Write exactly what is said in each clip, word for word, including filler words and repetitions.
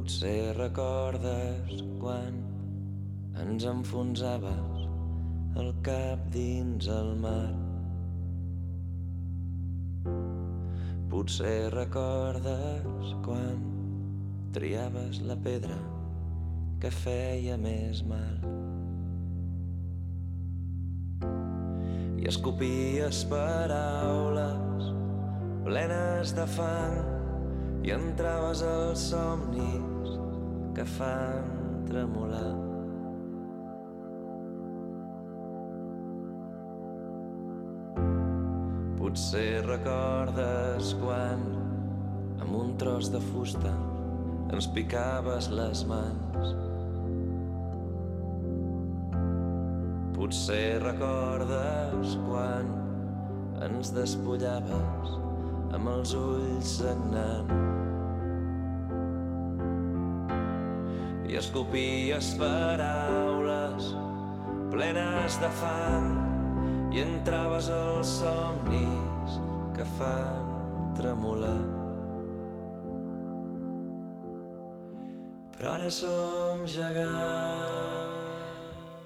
Potser recordes quan ens enfonsaves el cap dins el mar. Potser recordes quan triaves la pedra que feia més mal i escopies paraules plenes de fang i entraves als somnis que fan tremolar. Potser recordes quan amb un tros de fusta ens picaves les mans. Potser recordes quan ens despullaves amb els ulls sagnant i escopies paraules plenes de fang i entraves als somnis que fan tremolar. Però ara som gegants.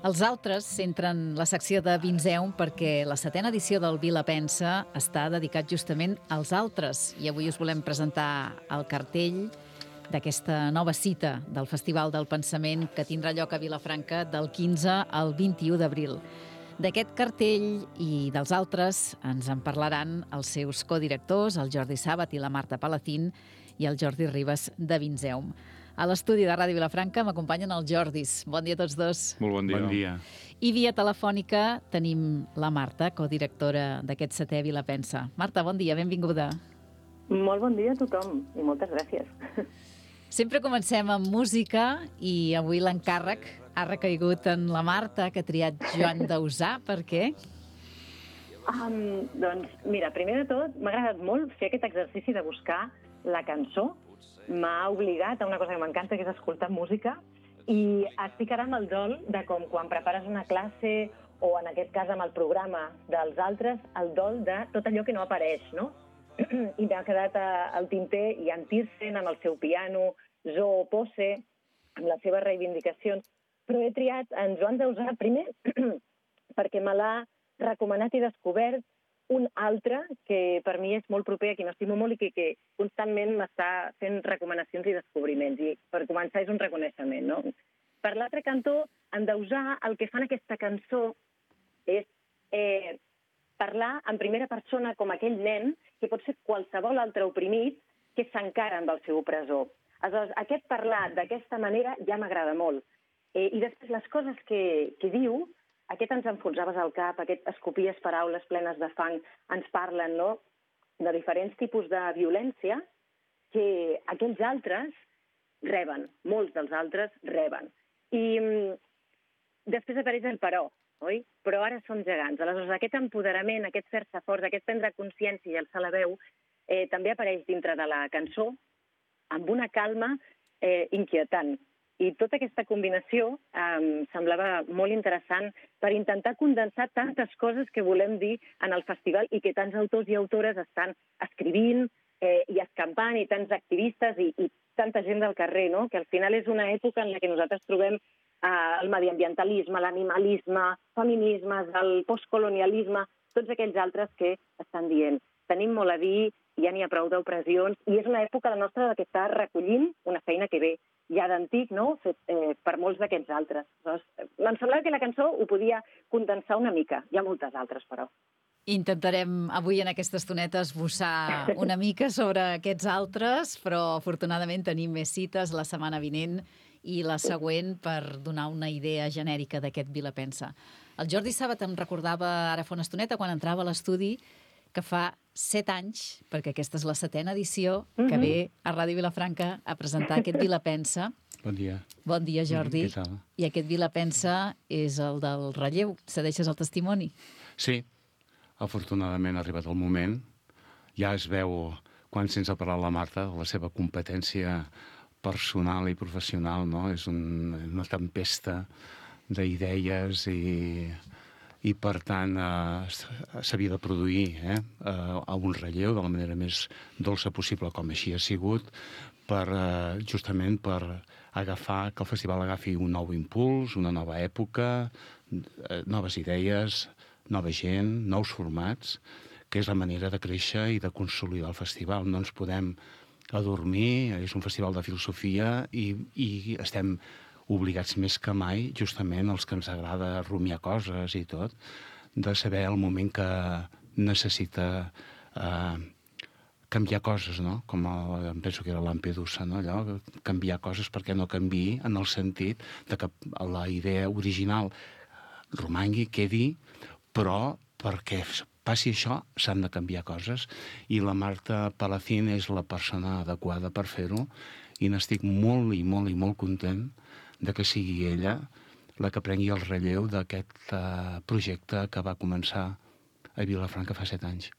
Els altres centren la secció de Vinceum perquè la setena edició del Vila Pensa està dedicat justament als altres i avui us volem presentar el cartell d'aquesta nova cita del Festival del Pensament que tindrà lloc a Vilafranca del quinze al vint-i-u d'abril. D'aquest cartell i dels altres ens en parlaran els seus codirectors, el Jordi Sàbat i la Marta Palacín, i el Jordi Ribas de Vinceum. A l'estudi de Ràdio Vilafranca m'acompanyen els Jordis. Bon dia a tots dos. Molt bon dia. Bon dia. I via telefònica tenim la Marta, codirectora d'aquest setè Vila Pensa. Marta, bon dia, benvinguda. Molt bon dia a tothom i moltes gràcies. Sempre comencem amb música i avui l'encàrrec ha recaigut en la Marta, que ha triat Joan Dausà. Per què? Um, doncs, mira, primer de tot, m'ha agradat molt fer aquest exercici de buscar la cançó. M'ha obligat a una cosa que m'encanta, que és escoltar música, i estic ara amb el dol de com quan prepares una classe o, en aquest cas, amb el programa dels altres, el dol de tot allò que no apareix, no? I m'ha quedat al tinter Jan Tiersen amb el seu piano, Zo Pose, amb les seves reivindicacions. Però he triat en Joan Dausà, primer, perquè me l'ha recomanat i descobert un altre que per mi és molt proper, a qui m'estimo molt i que, que constantment m'està fent recomanacions i descobriments. I per començar és un reconeixement, no? Per l'altre cantó, en Dausà, el que fa en aquesta cançó és eh, parlar en primera persona com aquell nen que pot ser qualsevol altre oprimit que s'encara amb el seu opressor. Aleshores, aquest parlar d'aquesta manera ja m'agrada molt. Eh, I després les coses que, que diu, aquest ens enfonsaves al cap, aquest escopies paraules plenes de fang, ens parlen, no?, de diferents tipus de violència que aquells altres reben, molts dels altres reben. I mm, després apareix el però, oi? Però ara som gegants. Aleshores, aquest empoderament, aquest fer-se forts, aquest prendre consciència i alçar la veu, eh, també apareix dintre de la cançó amb una calma eh, inquietant. I tota aquesta combinació eh, semblava molt interessant per intentar condensar tantes coses que volem dir en el festival i que tants autors i autores estan escrivint eh, i escampant, i tants activistes i, i tanta gent del carrer, no? Que al final és una època en la que nosaltres trobem eh, el mediambientalisme, l'animalisme, feminismes, el postcolonialisme, tots aquells altres que estan dient. Tenim molt a dir, ja n'hi ha prou d'opressions, i és una època la nostra que està recollint una feina que ve ja d'antic, no?, fet eh, per molts d'aquests altres. Doncs, em semblava que la cançó ho podia condensar una mica. Hi ha moltes altres, però. Intentarem avui en aquesta estoneta esbossar una mica sobre aquests altres, però afortunadament tenim més cites la setmana vinent i la següent per donar una idea genèrica d'aquest Vila Pensa. El Jordi Sàbat em recordava ara fa una estoneta, quan entrava a l'estudi, que fa set anys, perquè aquesta és la setena edició, que Mhm. ve a Ràdio Vilafranca a presentar aquest Vila Pensa. Bon dia. Bon dia, Jordi. Mm, què tal? I aquest Vila Pensa és el del relleu. Cedeixes el testimoni? Sí, afortunadament ha arribat el moment. Ja es veu, quan sense parlar la Marta, la seva competència personal i professional, no? És un, una tempesta d'idees i... i per tant eh, s'havia de produir eh, a un relleu de la manera més dolça possible, com així ha sigut, per, eh, justament per agafar, que el festival agafi un nou impuls, una nova època, eh, noves idees, nova gent, nous formats, que és la manera de créixer i de consolidar el festival. No ens podem adormir, és un festival de filosofia i, i estem obligats més que mai, justament els que ens agrada rumiar coses i tot, de saber el moment que necessita eh, canviar coses, no? Com el, em penso que era Lampedusa, no? Allò, canviar coses perquè no canviï en el sentit de que la idea original romangui, quedi, però perquè passi això s'han de canviar coses i la Marta Palacín és la persona adequada per fer-ho i n'estic molt i molt i molt content de que sigui ella la que prengui el relleu d'aquest uh, projecte que va començar a Vilafranca fa set anys.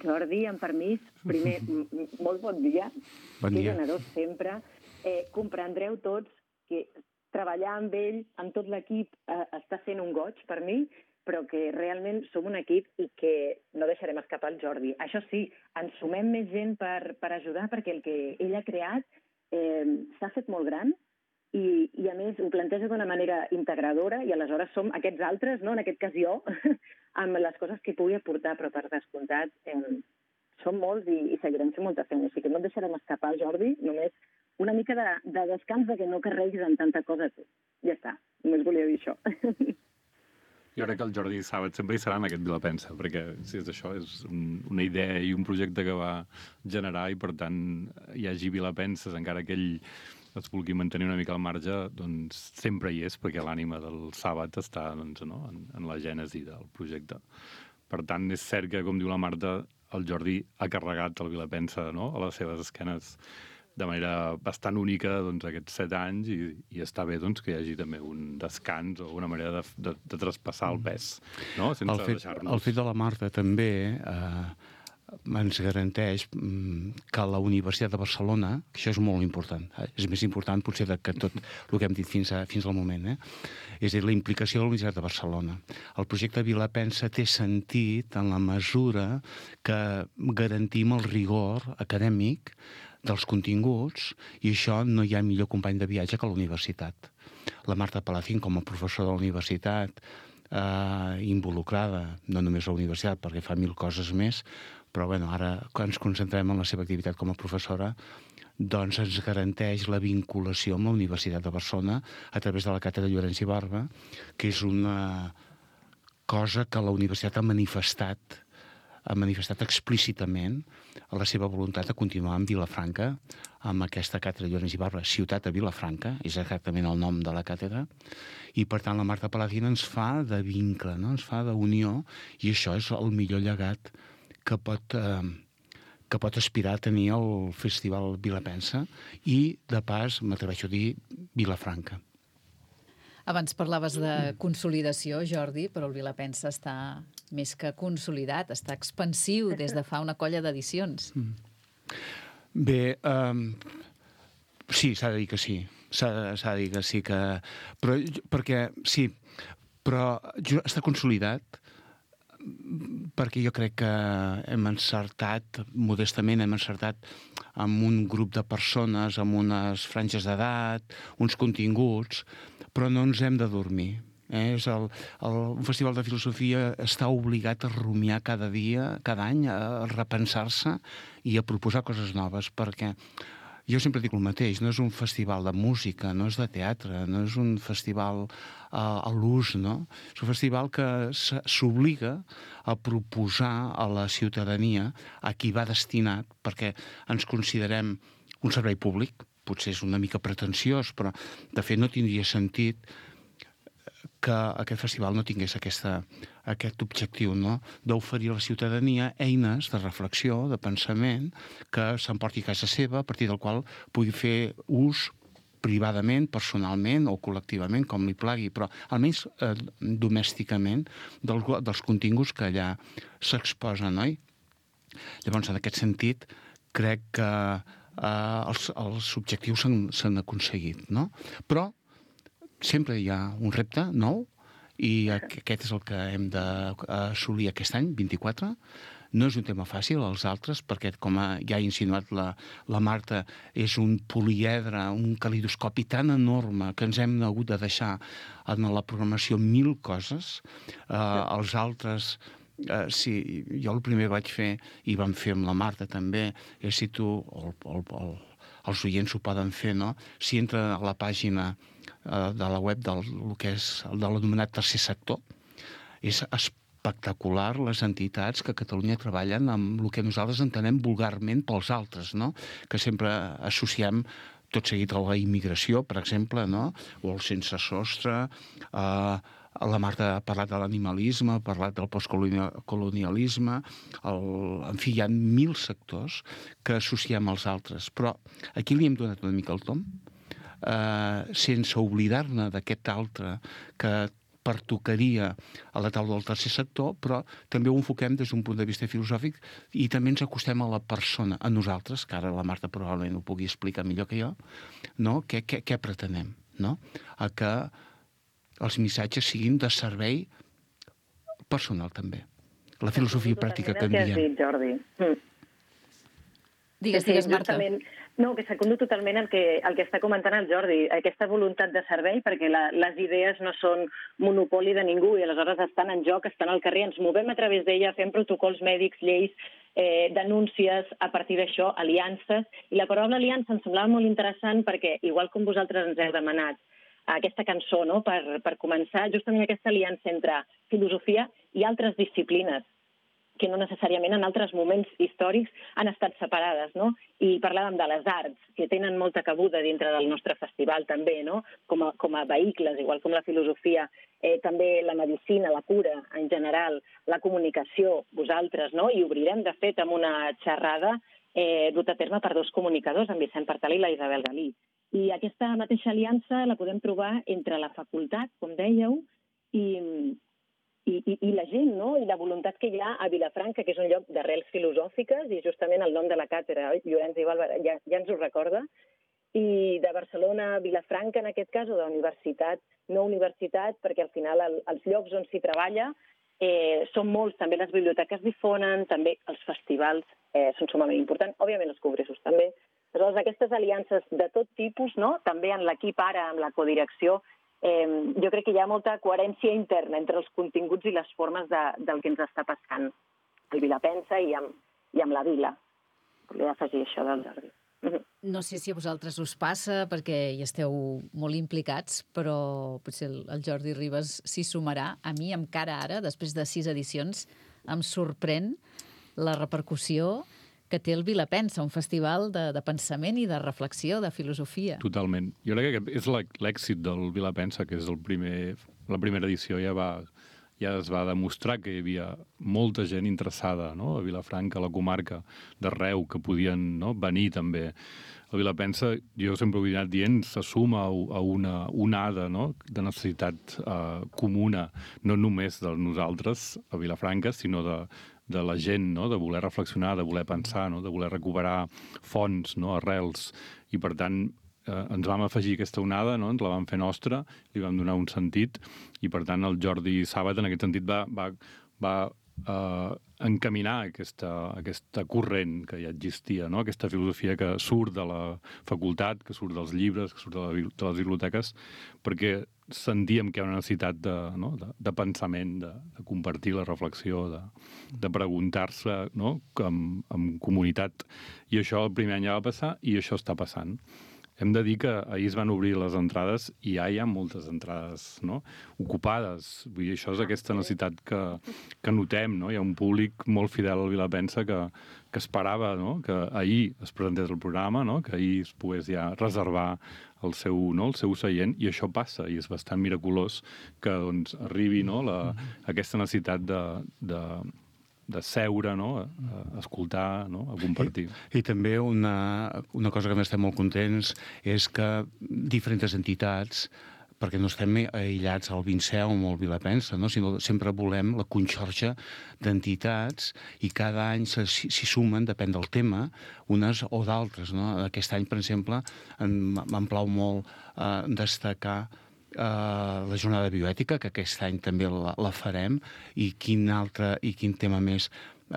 Jordi, amb permís, primer, molt bon dia. Bon dia. Que generós sempre. Eh, comprendreu tots que treballar amb ell, amb tot l'equip, eh, està sent un goig per mi, però que realment som un equip i que no deixarem escapar el Jordi. Això sí, ens sumem més gent per, per ajudar, perquè el que ell ha creat eh, s'ha fet molt gran i, i a més ho planteja d'una manera integradora i aleshores som aquests altres, no? En aquest cas jo, amb les coses que pugui aportar, però per descomptat eh, som molts i, i seguirem fent molta feina. Així que no et deixarem escapar, Jordi, només una mica de, de descans de que no carreguis amb tanta cosa tu. Ja està, només volia dir això. Jo crec que el Jordi Sàbat sempre hi serà en aquest Vilapensa, perquè si és això, és un, una idea i un projecte que va generar i, per tant, hi hagi Vilapenses, encara que ell es vulgui mantenir una mica al marge, doncs sempre hi és, perquè l'ànima del Sàbat està doncs, no? en, en la gènesi del projecte. Per tant, és cert que, com diu la Marta, el Jordi ha carregat el Vilapensa, no? A les seves esquenes de manera bastant única doncs, aquests set anys i, i està bé doncs, que hi hagi també un descans o una manera de, de, de traspassar el pes, no? Sense el fet, deixar-nos... El fet de la Marta també eh, ens garanteix que la Universitat de Barcelona, que això és molt important, eh, és més important potser que tot el que hem dit fins, a, fins al moment, eh? És a dir, la implicació de la Universitat de Barcelona. El projecte Vilapensa té sentit en la mesura que garantim el rigor acadèmic dels continguts, i això no hi ha millor company de viatge que la universitat. La Marta Palacín, com a professora de la universitat, eh, involucrada, no només a la universitat, perquè fa mil coses més, però bueno, ara, quan ens concentrem en la seva activitat com a professora, doncs ens garanteix la vinculació amb la Universitat de Barcelona a través de la càtedra Llorenç i Barba, que és una cosa que la universitat ha manifestat ha manifestat explícitament la seva voluntat de continuar amb Vilafranca, amb aquesta càtedra Llorenç i Barba, Ciutat de Vilafranca, és exactament el nom de la càtedra, i per tant la Marta Palacín ens fa de vincle, no? Ens fa d'unió, i això és el millor llegat que pot, eh, que pot aspirar a tenir el Festival Vilapensa i, de pas, m'atreveixo a dir, Vilafranca. Abans parlaves de consolidació, Jordi, però el Vilapensa està més que consolidat, està expansiu des de fa una colla d'edicions. Mm. Bé, um, sí, s'ha de dir que sí. S'ha de dir que sí, que... Però, perquè, sí, però està consolidat perquè jo crec que hem encertat, modestament hem encertat amb un grup de persones, amb unes franges d'edat, uns continguts, però no ens hem de dormir. Eh? És el, el, un festival de filosofia està obligat a rumiar cada dia, cada any, a repensar-se i a proposar coses noves, perquè jo sempre dic el mateix, no és un festival de música, no és de teatre, no és un festival uh, a l'ús, no? És un festival que s'obliga a proposar a la ciutadania a qui va destinat, perquè ens considerem un servei públic, potser és una mica pretensiós, però de fet no tindria sentit que aquest festival no tingués aquesta, aquest objectiu, no? D'oferir a la ciutadania eines de reflexió, de pensament, que s'emporti a casa seva, a partir del qual pugui fer ús privadament, personalment o col·lectivament, com li plagui, però almenys eh, domèsticament del, dels continguts que allà s'exposen, oi? Llavors, en aquest sentit, crec que eh, els, els objectius s'han aconseguit, no? Però sempre hi ha un repte nou i aquest és el que hem d'assolir aquest any, vint-i-quatre, No és un tema fàcil, els altres, perquè, com ja ha insinuat la, la Marta, és un poliedre, un calidoscopi tan enorme que ens hem hagut de deixar en la programació mil coses. Uh, els altres... Uh, sí, jo el primer vaig fer, i vam fer amb la Marta també, és si tu, el, el, el, els oients ho poden fer, no? Si entra a la pàgina uh, de la web del el que és el de l'anomenat tercer sector, és espectacular les entitats que a Catalunya treballen amb el que nosaltres entenem vulgarment pels altres, no? Que sempre associem tot seguit a la immigració, per exemple, no? O el sense sostre. Eh, la Marta ha parlat de l'animalisme, ha parlat del postcolonialisme. El... En fi, hi ha mil sectors que associem als altres. Però aquí li hem donat una mica el tom, eh, sense oblidar-ne d'aquest altre que pertocaria a la taula del tercer sector, però també ho enfoquem des d'un punt de vista filosòfic i també ens acostem a la persona, a nosaltres, que ara la Marta probablement ho pugui explicar millor que jo, no? Què, què, què pretenem, no? A que els missatges siguin de servei personal, també. La filosofia pràctica que en diem. El que has dit, Jordi. Mm. Digues, digues, Marta. No, que secundo totalment el que, el que està comentant el Jordi, aquesta voluntat de servei, perquè la, les idees no són monopoli de ningú i aleshores estan en joc, estan al carrer, ens movem a través d'ella, fem protocols mèdics, lleis, eh, denúncies, a partir d'això, aliances. I la paraula aliança em semblava molt interessant perquè, igual com vosaltres ens heu demanat, aquesta cançó, no?, per, per començar, justament aquesta aliança entre filosofia i altres disciplines, que no necessàriament en altres moments històrics han estat separades, no? I parlàvem de les arts, que tenen molta cabuda dintre del nostre festival també, no? Com a, com a vehicles, igual com la filosofia, eh, també la medicina, la cura en general, la comunicació, vosaltres, no? I obrirem, de fet, amb una xerrada eh, dut a terme per dos comunicadors, en Vicent Partal i la Isabel Galí. I aquesta mateixa aliança la podem trobar entre la facultat, com dèieu, i... I, i, i la gent, no? I la voluntat que hi ha a Vilafranca, que és un lloc d'arrels filosòfiques, i justament el nom de la càtedra, Llorenç i Balba, ja, ja ens ho recorda, i de Barcelona a Vilafranca, en aquest cas, o de universitat, no universitat, perquè al final el, els llocs on s'hi treballa eh, són molts, també les biblioteques difonen, també els festivals eh, són sumament importants, òbviament els congressos també. Aleshores, aquestes aliances de tot tipus, no? També en l'equip ara, amb la codirecció, Eh, jo crec que hi ha molta coherència interna entre els continguts i les formes de, del que ens està passant al Vilapensa i amb, i amb la vila. Volia afegir això del Jordi. No sé si a vosaltres us passa, perquè hi esteu molt implicats, però potser el, el Jordi Ribas s'hi sumarà. A mi, encara ara, després de sis edicions, em sorprèn la repercussió que té el Vilapensa, un festival de, de pensament i de reflexió, de filosofia. Totalment. Jo crec que és l'èxit del Vilapensa, que és el primer, la primera edició, ja, va, ja es va demostrar que hi havia molta gent interessada, no?, a Vilafranca, a la comarca d'arreu, que podien, no?, venir també. El Vilapensa, jo sempre ho he anat dient, se suma a una onada, no?, de necessitat eh, comuna, no només de nosaltres a Vilafranca, sinó de de la gent, no?, de voler reflexionar, de voler pensar, no?, de voler recuperar fonts, no?, arrels. I, per tant, eh, ens vam afegir aquesta onada, no?, ens la vam fer nostra, li vam donar un sentit, i, per tant, el Jordi Sàbat, en aquest sentit, va, va, va eh, encaminar aquesta, aquesta corrent que ja existia, no?, aquesta filosofia que surt de la facultat, que surt dels llibres, que surt de, la, de les biblioteques, perquè sentíem que hi ha una necessitat de, no?, de, de pensament, de, de compartir la reflexió, de, de preguntar-se, no?, amb, amb comunitat. I això el primer any ja va passar i això està passant. Hem de dir que ahir es van obrir les entrades i ja hi ha moltes entrades, no?, ocupades. Vull dir, això és aquesta necessitat que, que notem, no? Hi ha un públic molt fidel al Vilapensa que, que esperava, no?, que ahir es presentés el programa, no?, que ahir es pogués ja reservar el seu, no?, el seu seient, i això passa, i és bastant miraculós que, doncs, arribi, no?, la, aquesta necessitat de, de, de seure, no?, a, a escoltar, no?, a compartir. I, i també una, una cosa que n'estem molt contents és que diferents entitats, perquè no estem aïllats al Vinceum o al Vilapensa, no?, sinó sempre volem la conxorxa d'entitats i cada any s'hi sumen, depèn del tema, unes o d'altres, no? Aquest any, per exemple, em plau molt eh, destacar Uh, la jornada bioètica, que aquest any també la, la farem, i quin altre i quin tema més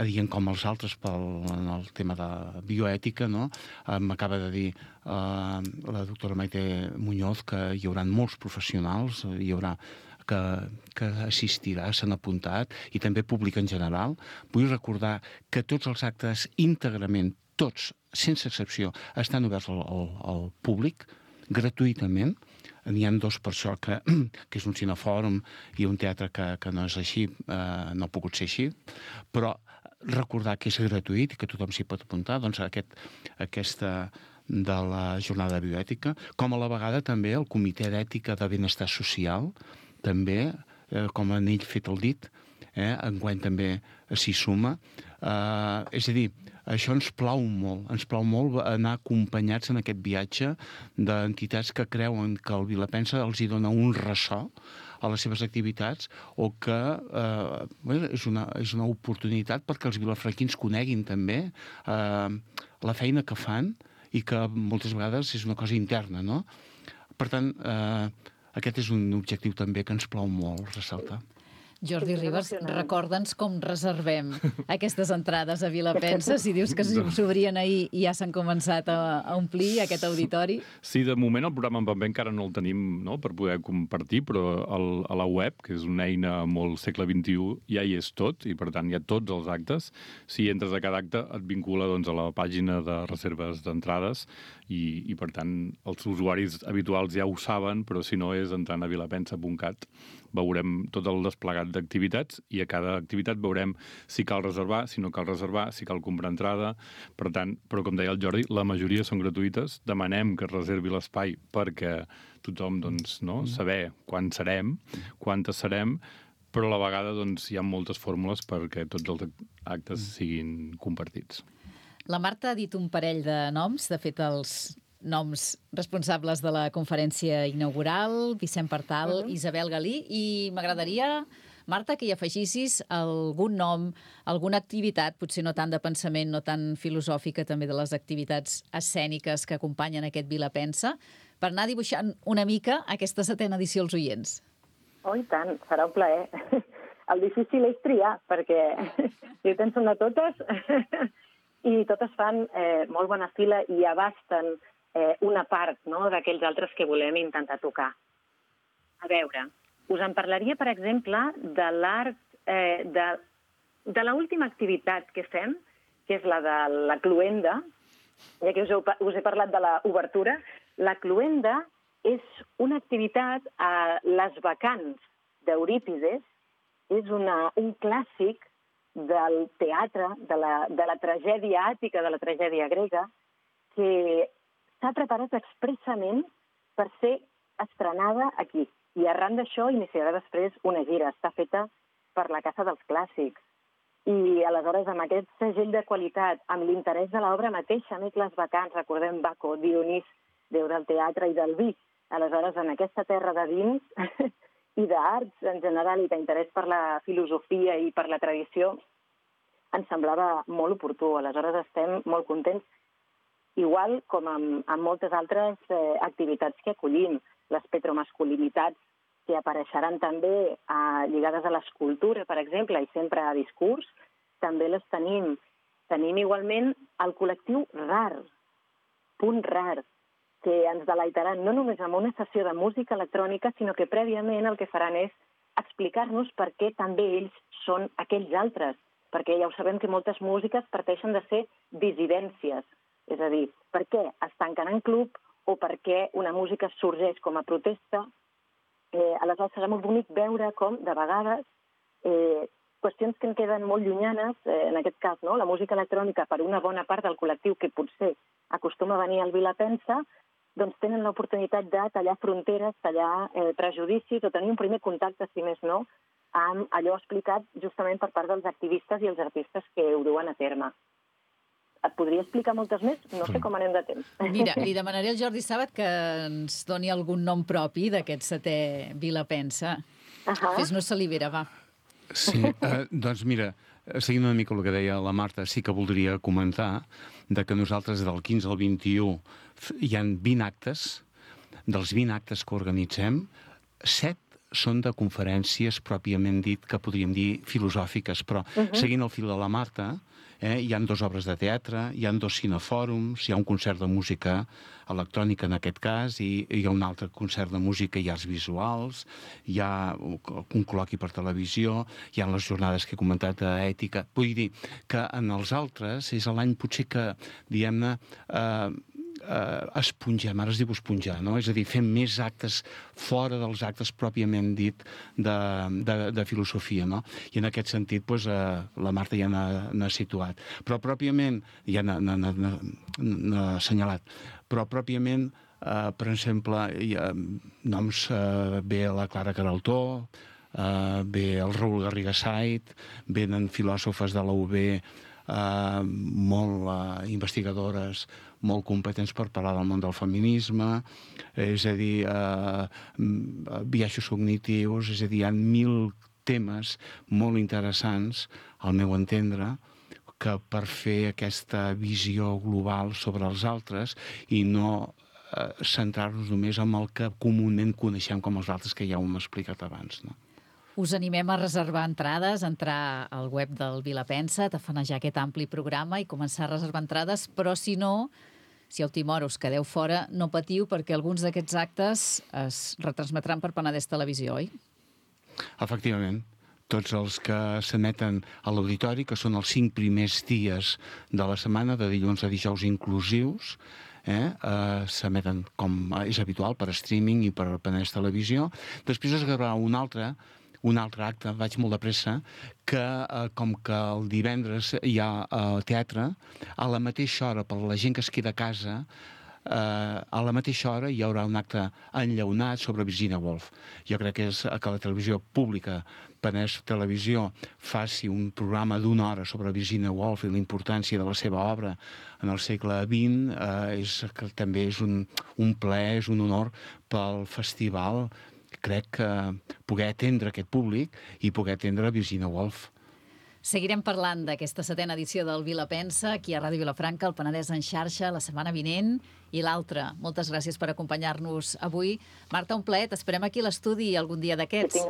dient com els altres pel en el tema de bioètica, no? Eh, M'acaba de dir eh, la doctora Maite Muñoz que hi haurà molts professionals, hi haurà que, que assistirà, s'han apuntat, i també públic en general. Vull recordar que tots els actes íntegrament, tots, sense excepció, estan oberts al, al, al públic, gratuïtament. N'hi ha dos per això, que, que és un cinefòrum i un teatre que, que no és així, eh, no ha pogut ser així, però recordar que és gratuït i que tothom s'hi pot apuntar, doncs aquest, aquesta de la jornada de bioètica, com a la vegada també el Comitè d'Ètica de Benestar Social, també, eh, com han ell fet el dit, eh, enguany també s'hi suma. Eh, és a dir, això ens plau molt, ens plau molt anar acompanyats en aquest viatge d'entitats que creuen que el Vilapensa els hi dona un ressò a les seves activitats o que eh, bé, és, una, és una oportunitat perquè els vilafranquins coneguin també eh, la feina que fan i que moltes vegades és una cosa interna, no? Per tant, eh, aquest és un objectiu també que ens plau molt ressaltar. Jordi Ribas, recorda'ns com reservem aquestes entrades a Vilapensa, si dius que s'obrien ahir i ja s'han començat a, a omplir aquest auditori. Sí, de moment el programa en paper encara no el tenim, no?, per poder compartir, però el, a la web, que és una eina molt segle vint-i-u, ja hi és tot, i per tant hi ha tots els actes. Si entres a cada acte et vincula doncs, a la pàgina de reserves d'entrades i, i per tant els usuaris habituals ja ho saben, però si no és entrant a vilapensa punt cat veurem tot el desplegat d'activitats i a cada activitat veurem si cal reservar, si no cal reservar, si cal comprar entrada. Per tant, però com deia el Jordi, la majoria són gratuïtes. Demanem que es reservi l'espai perquè tothom, doncs, no, saber quan serem, quantes serem, però a la vegada doncs, hi ha moltes fórmules perquè tots els actes siguin compartits. La Marta ha dit un parell de noms, de fet els noms responsables de la conferència inaugural, Vicent Partal, uh -huh. Isabel Galí, i m'agradaria, Marta, que hi afegissis algun nom, alguna activitat, potser no tant de pensament, no tan filosòfica, també de les activitats escèniques que acompanyen aquest Vilapensa, per anar dibuixant una mica aquesta setena edició als oients. Oh, i tant, serà un plaer. El difícil és triar, perquè jo penso en totes i totes fan eh, molt bona fila i abasten eh, una part, no?, d'aquells altres que volem intentar tocar. A veure, us en parlaria, per exemple, de l'art, eh, de, de l'última activitat que fem, que és la de la cloenda, ja que us he, us he parlat de l'obertura. La cloenda és una activitat a les bacants d'Eurípides, és una, un clàssic del teatre, de la, de la tragèdia àtica, de la tragèdia grega, que s'ha preparat expressament per ser estrenada aquí. I arran d'això iniciarà després una gira. Està feta per la Casa dels Clàssics. I aleshores, amb aquest segell de qualitat, amb l'interès de l'obra mateixa, més les bacants, recordem Baco, Dionís, déu del teatre i del vi. Aleshores, en aquesta terra de vins i d'arts en general i d'interès per la filosofia i per la tradició, ens semblava molt oportú. Aleshores, estem molt contents, igual com amb, amb moltes altres eh, activitats que acollim, les petromasculinitats, que apareixeran també eh, lligades a l'escultura, per exemple, i sempre a discurs, també les tenim. Tenim igualment el col·lectiu RAR, Punt RAR, que ens deleitaran no només amb una sessió de música electrònica, sinó que prèviament el que faran és explicar-nos per què també ells són aquells altres, perquè ja ho sabem que moltes músiques parteixen de ser dissidències, és a dir, per què es tanquen en club o per què una música sorgeix com a protesta. Eh, aleshores serà molt bonic veure com, de vegades, eh, qüestions que en queden molt llunyanes, eh, en aquest cas, no? La música electrònica per una bona part del col·lectiu que potser acostuma a venir al Vilapensa, doncs tenen l'oportunitat de tallar fronteres, tallar eh, prejudicis o tenir un primer contacte, si més no, amb allò explicat justament per part dels activistes i els artistes que ho duen a terme. Et podria explicar moltes més? No sé com anem de temps. Mira, li demanaré al Jordi Sàbat que ens doni algun nom propi d'aquest setè Vilapensa. Uh-huh. Fes-nos salivera, va. Sí, eh, doncs mira, seguint una mica el que deia la Marta, sí que voldria comentar de que nosaltres del quinze al vint-i-u hi ha vint actes. Dels vint actes que organitzem, set són de conferències pròpiament dit, que podríem dir filosòfiques, però uh-huh. seguint el fil de la Marta, eh, hi ha dues obres de teatre, hi ha dos cinefòrums, hi ha un concert de música electrònica en aquest cas, i hi ha un altre concert de música i arts visuals, hi ha un col·loqui per televisió, hi ha les jornades que he comentat d'ètica. Vull dir que en els altres és l'any potser que, diguem-ne, eh, Uh, esponjar, ara es diu esponjar, no? És a dir, fem més actes fora dels actes pròpiament dit de, de, de filosofia, no? I en aquest sentit, doncs, uh, la Marta ja n'ha situat. Però pròpiament, ja n'ha assenyalat, però pròpiament, uh, per exemple, hi ha noms, uh, ve la Clara Queraltó, uh, ve el Raül Garriga Sait, venen filòsofes de la U B, Uh, molt uh, investigadores, molt competents per parlar del món del feminisme, és a dir, uh, biaixos cognitius, és a dir, hi ha mil temes molt interessants, al meu entendre, que per fer aquesta visió global sobre els altres i no uh, centrar-nos només en el que comúment coneixem com els altres, que ja ho hem explicat abans, no? Us animem a reservar entrades, a entrar al web del Vilapensa, tafanejar aquest ampli programa i començar a reservar entrades, però si no, si a última hora us quedeu fora, no patiu, perquè alguns d'aquests actes es retransmetran per Penedès Televisió, oi? Efectivament. Tots els que s'emeten a l'auditori, que són els cinc primers dies de la setmana, de dilluns a dijous inclusius, eh, eh, s'emeten com és habitual per streaming i per Penedès Televisió. Després es gravarà un altre, un altre acte, vaig molt de pressa, que eh, com que el divendres hi ha eh, teatre, a la mateixa hora, per la gent que es queda a casa, eh, a la mateixa hora hi haurà un acte enllaunat sobre Virginia Woolf. Jo crec que és que la televisió pública, Penedès Televisió, faci un programa d'una hora sobre Virginia Woolf i la importància de la seva obra en el segle vint, eh, és, que també és un, un plaer, és un honor pel festival. Crec que poder atendre aquest públic i poder atendre Virginia Woolf. Seguirem parlant d'aquesta setena edició del Vilapensa, aquí a Ràdio Vilafranca, el Penedès en xarxa, la setmana vinent i l'altra. Moltes gràcies per acompanyar-nos avui. Marta, un plaer, t'esperem aquí a l'estudi algun dia d'aquests.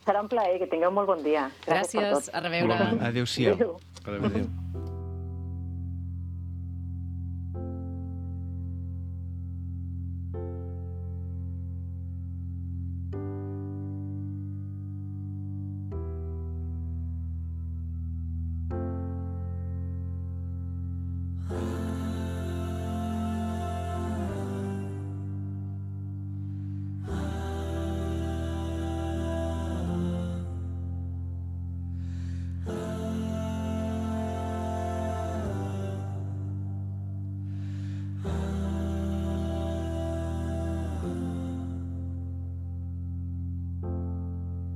Serà un plaer, que tingueu molt bon dia. Gràcies, gràcies a reveure. Adéu-siau. Adéu. Adéu. Adéu.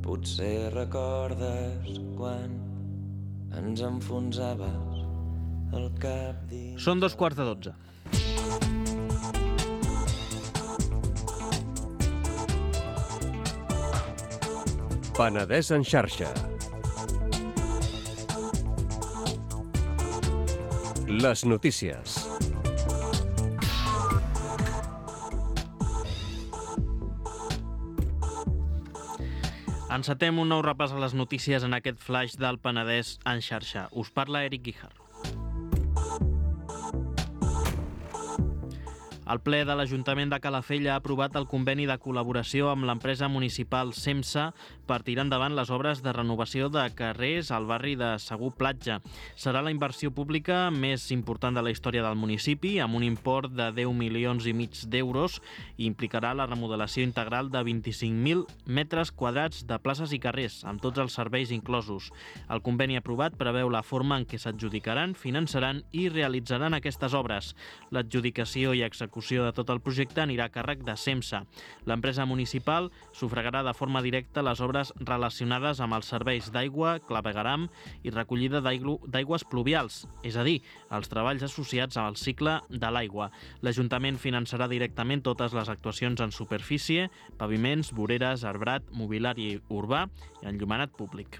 Potser recordes quan ens enfonsaves el cap dins... Són dos quarts de dotze. Penedès en xarxa. Les notícies. Encetem un nou repàs a les notícies en aquest flash del Penedès en xarxa. Us parla Eric Guijarro. El ple de l'Ajuntament de Calafell ha aprovat el conveni de col·laboració amb l'empresa municipal SEMSA per tirar endavant les obres de renovació de carrers al barri de Segur Platja. Serà la inversió pública més important de la història del municipi, amb un import de deu milions i mig d'euros, i implicarà la remodelació integral de vint-i-cinc mil metres quadrats de places i carrers, amb tots els serveis inclosos. El conveni aprovat preveu la forma en què s'adjudicaran, finançaran i realitzaran aquestes obres. L'adjudicació i execució de tot el projecte anirà a càrrec de SEMSA. L'empresa municipal sufragarà de forma directa les obres relacionades amb els serveis d'aigua, clavegueram i recollida d'aigües pluvials, és a dir, els treballs associats al cicle de l'aigua. L'Ajuntament finançarà directament totes les actuacions en superfície, paviments, voreres, arbrat, mobiliari urbà i enllumenat públic.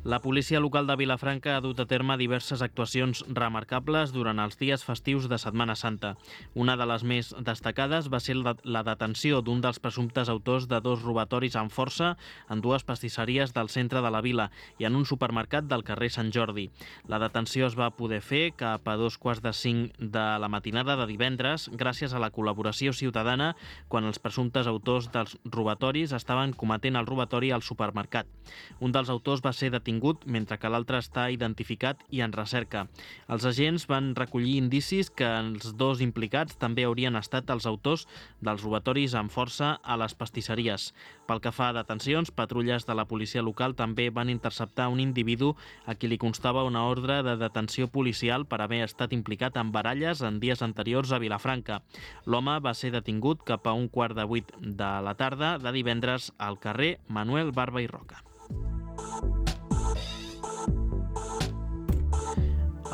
La policia local de Vilafranca ha dut a terme diverses actuacions remarcables durant els dies festius de Setmana Santa. Una de les més destacades va ser la detenció d'un dels presumptes autors de dos robatoris amb força en dues pastisseries del centre de la vila i en un supermercat del carrer Sant Jordi. La detenció es va poder fer cap a dos quarts de cinc de la matinada de divendres gràcies a la col·laboració ciutadana quan els presumptes autors dels robatoris estaven cometent el robatori al supermercat. Un dels autors va ser detingut mentre que l'altre està identificat i en recerca. Els agents van recollir indicis que els dos implicats també haurien estat els autors dels robatoris amb força a les pastisseries. Pel que fa a detencions, patrulles de la policia local també van interceptar un individu a qui li constava una ordre de detenció policial per haver estat implicat en baralles en dies anteriors a Vilafranca. L'home va ser detingut cap a un quart de vuit de la tarda de divendres al carrer Manuel Barba i Roca.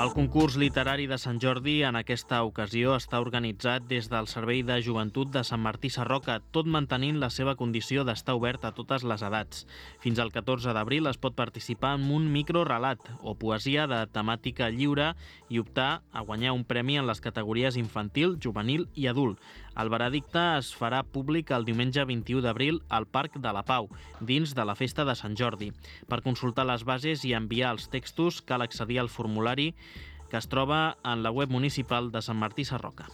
El concurs literari de Sant Jordi en aquesta ocasió està organitzat des del Servei de Joventut de Sant Martí Sarroca, tot mantenint la seva condició d'estar obert a totes les edats. Fins al catorze d'abril es pot participar en un microrelat o poesia de temàtica lliure i optar a guanyar un premi en les categories infantil, juvenil i adult. El veredicte es farà públic el diumenge vint-i-u d'abril al Parc de la Pau, dins de la Festa de Sant Jordi. Per consultar les bases i enviar els textos cal accedir al formulari que es troba en la web municipal de Sant Martí Sarroca.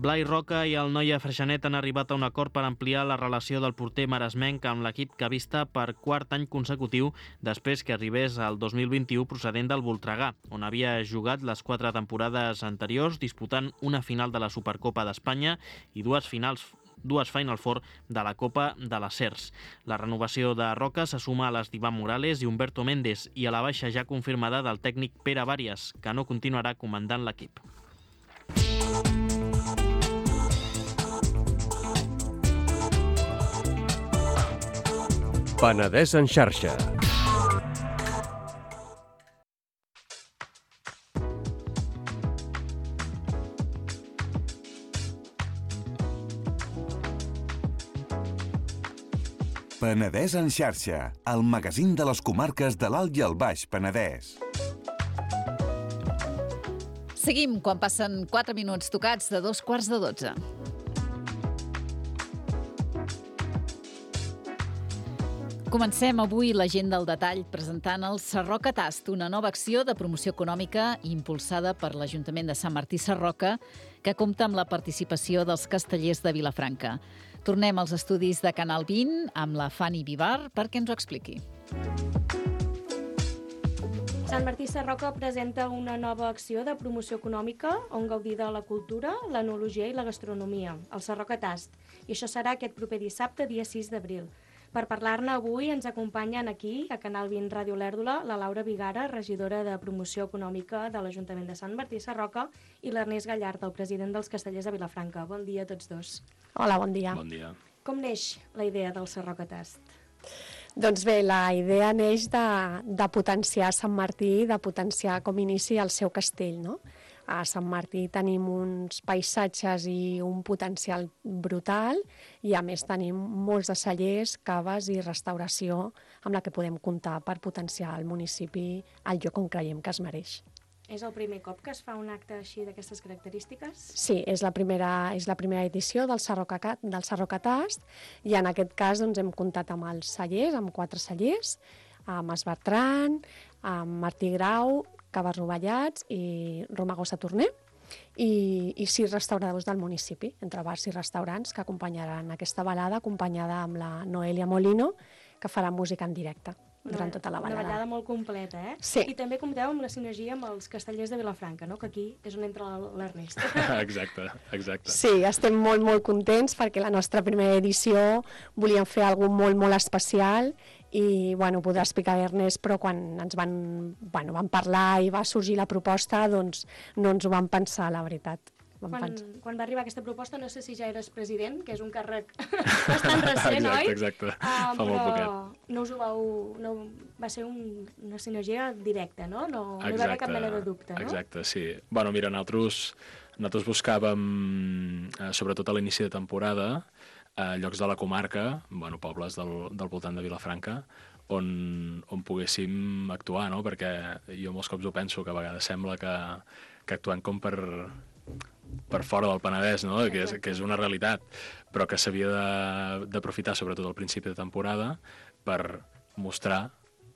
Blai Roca i el Noia Freixenet han arribat a un acord per ampliar la relació del porter maresmenc amb l'equip cavista per quart any consecutiu després que arribés al dos mil vint-i-u procedent del Voltregà, on havia jugat les quatre temporades anteriors disputant una final de la Supercopa d'Espanya i dues finals dues Final Four de la Copa de les Cers. La renovació de Roca se suma a les d'Ivan Morales i Humberto Méndez i a la baixa ja confirmada del tècnic Pere Bàries, que no continuarà comandant l'equip. Penedès en xarxa. Penedès en xarxa, el magazín de les comarques de l'Alt i el Baix Penedès. Seguim quan passen quatre minuts tocats de dos quarts de dotze. Comencem avui la gent del detall presentant el Sarroca Tast, una nova acció de promoció econòmica impulsada per l'Ajuntament de Sant Martí Sarroca que compta amb la participació dels castellers de Vilafranca. Tornem als estudis de Canal vint amb la Fanny Vivar perquè ens ho expliqui. Sant Martí Sarroca presenta una nova acció de promoció econòmica on gaudir de la cultura, l'enologia i la gastronomia, el Sarroca Tast, i això serà aquest proper dissabte, dia sis d'abril. Per parlar-ne avui ens acompanyen aquí, a Canal vint Ràdio Lèrdula, la Laura Vigara, regidora de Promoció Econòmica de l'Ajuntament de Sant Martí Sarroca, i l'Ernest Gallard, el president dels Castellers de Vilafranca. Bon dia a tots dos. Hola, bon dia. Bon dia. Com neix la idea del Sarroca Tast? Doncs bé, la idea neix de, de potenciar Sant Martí, de potenciar com inici el seu castell, no? A Sant Martí tenim uns paisatges i un potencial brutal i a més tenim molts de cellers, caves i restauració amb la que podem comptar per potenciar el municipi al lloc on creiem que es mereix. És el primer cop que es fa un acte així d'aquestes característiques? Sí, és la primera, és la primera edició del Sarroca, del Sarroca Tast i en aquest cas doncs, hem comptat amb els cellers, amb quatre cellers, amb Es Bertran, amb Martí Grau, Caves Rovellats i Romago Saturner i, i sis restauradors del municipi, entre bars i restaurants, que acompanyaran aquesta balada, acompanyada amb la Noelia Molino, que farà música en directe durant tota la balada. Una ballada molt completa, eh? Sí. I també compteu amb la sinergia amb els castellers de Vilafranca, no? Que aquí és on entra l'Ernest. Exacte, exacte. Sí, estem molt, molt contents perquè la nostra primera edició volíem fer alguna cosa molt, molt especial i, bueno, podrà explicar Ernest, però quan ens van, bueno, van parlar i va sorgir la proposta, doncs no ens ho vam pensar, la veritat. Quan, quan va arribar aquesta proposta, no sé si ja eres president, que és un càrrec bastant recent, exacte, oi? Exacte, uh, fa molt però poquet. no us ho vau... No, va ser un, una sinergia directa, no? No, no hi va haver cap mena de dubte, no? Exacte, sí. Bueno, mira, nosaltres, nosaltres buscàvem, eh, sobretot a l'inici de temporada, eh, llocs de la comarca, bueno, pobles del, del voltant de Vilafranca, on, on poguéssim actuar, no? Perquè jo molts cops ho penso, que a vegades sembla que, que actuem com per, per fora del Penedès, no? que, és, que és una realitat, però que s'havia d'aprofitar, sobretot al principi de temporada, per mostrar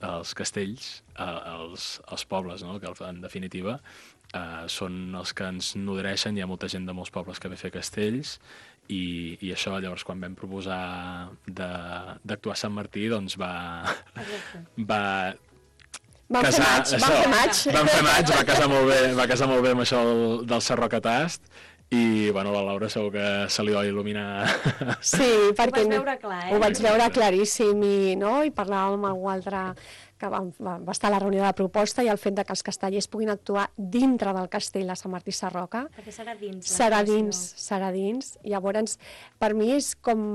els castells als, als pobles, no? Que en definitiva eh, són els que ens nodreixen. Hi ha molta gent de molts pobles que ve a fer castells i, i això, llavors, quan vam proposar d'actuar a Sant Martí, doncs va... va Vam casar, fer maig, vam fer maig. Vam fer maig, va casar molt bé, va casar molt bé amb això del, del Sarrocatast. I, bueno, la Laura segur que se li va il·luminar. Sí, perquè ho vaig veure clar, eh? Ho vaig veure claríssim i, no? I parlàvem amb algú altre que va, va, va estar a la reunió de la proposta i el fet de que els castellers puguin actuar dintre del castell de Sant Martí Sarroca. Perquè serà dins. Serà dins, serà dins. Llavors, per mi és com